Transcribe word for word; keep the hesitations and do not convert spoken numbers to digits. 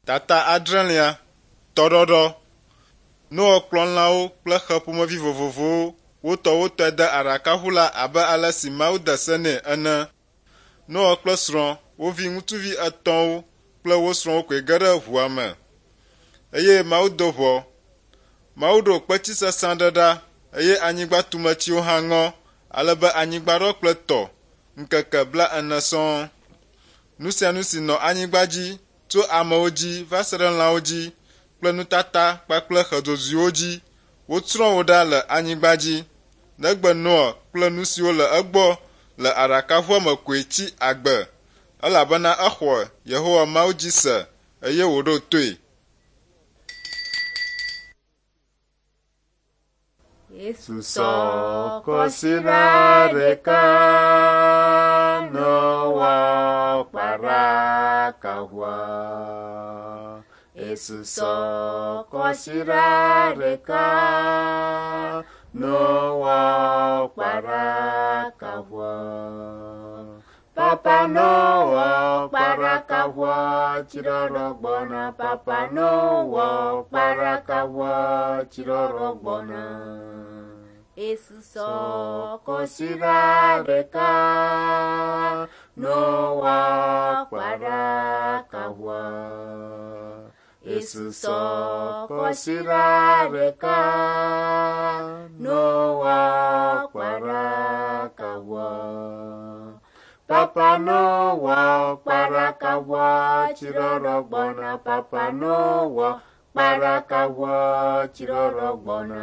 Tata adrelia, tɔɖɔɖɔ. Noa kplɔ lãwo kple xe ƒomevi vovovowo wotɔwotɔe de aɖakaʋu la abe ale si Mawu de se nɛ ene. Noa kple srɔ̃, wo viŋutsuvi etɔ̃wo kple wo srɔ̃wo koe ge ɖe ʋua me. Eye Mawu do ʋɔ. Mawu ɖo kpetsi sesẽ aɖe ɖa eye anyigba tumetsiwo hã ŋɔ ale be anyigba ɖɔ kple tɔ ŋkeke blaene sɔŋ. Nu sia nu si nɔ anyigba dzi tso amewo dzi va se ɖe lãwo dzi kple nutata kpakple xe dzodzoewo dzi, wotsrɔ̃ wo ɖa le anyigba dzi. Negbe Noa kple nu siwo le egbɔ le aɖakaʋua me koe tsi agbe elabena exɔ Yehowa Mawu dzi se eye wòɖo toe. Yesu Susɔ kɔsiɖa ɖeka Noa kpara kaʋua. Esusɔ kɔsiɖa ɖeka Noa kpara kaʋua. Papa Noa kpara kaʋua tsirɔrɔ gbɔna. Papa Noa kpara kaʋua tsirɔrɔ gbɔna. Esusɔ Kɔsiɖa ɖeka Noa kpara kaʋua. Esusɔ kɔsiɖa ɖeka Noa kpara kaʋua. Papa Noa kpara kaʋua tsirɔrɔ gbɔna. Papa Noa kpara kaʋua tsirɔrɔ gbɔna.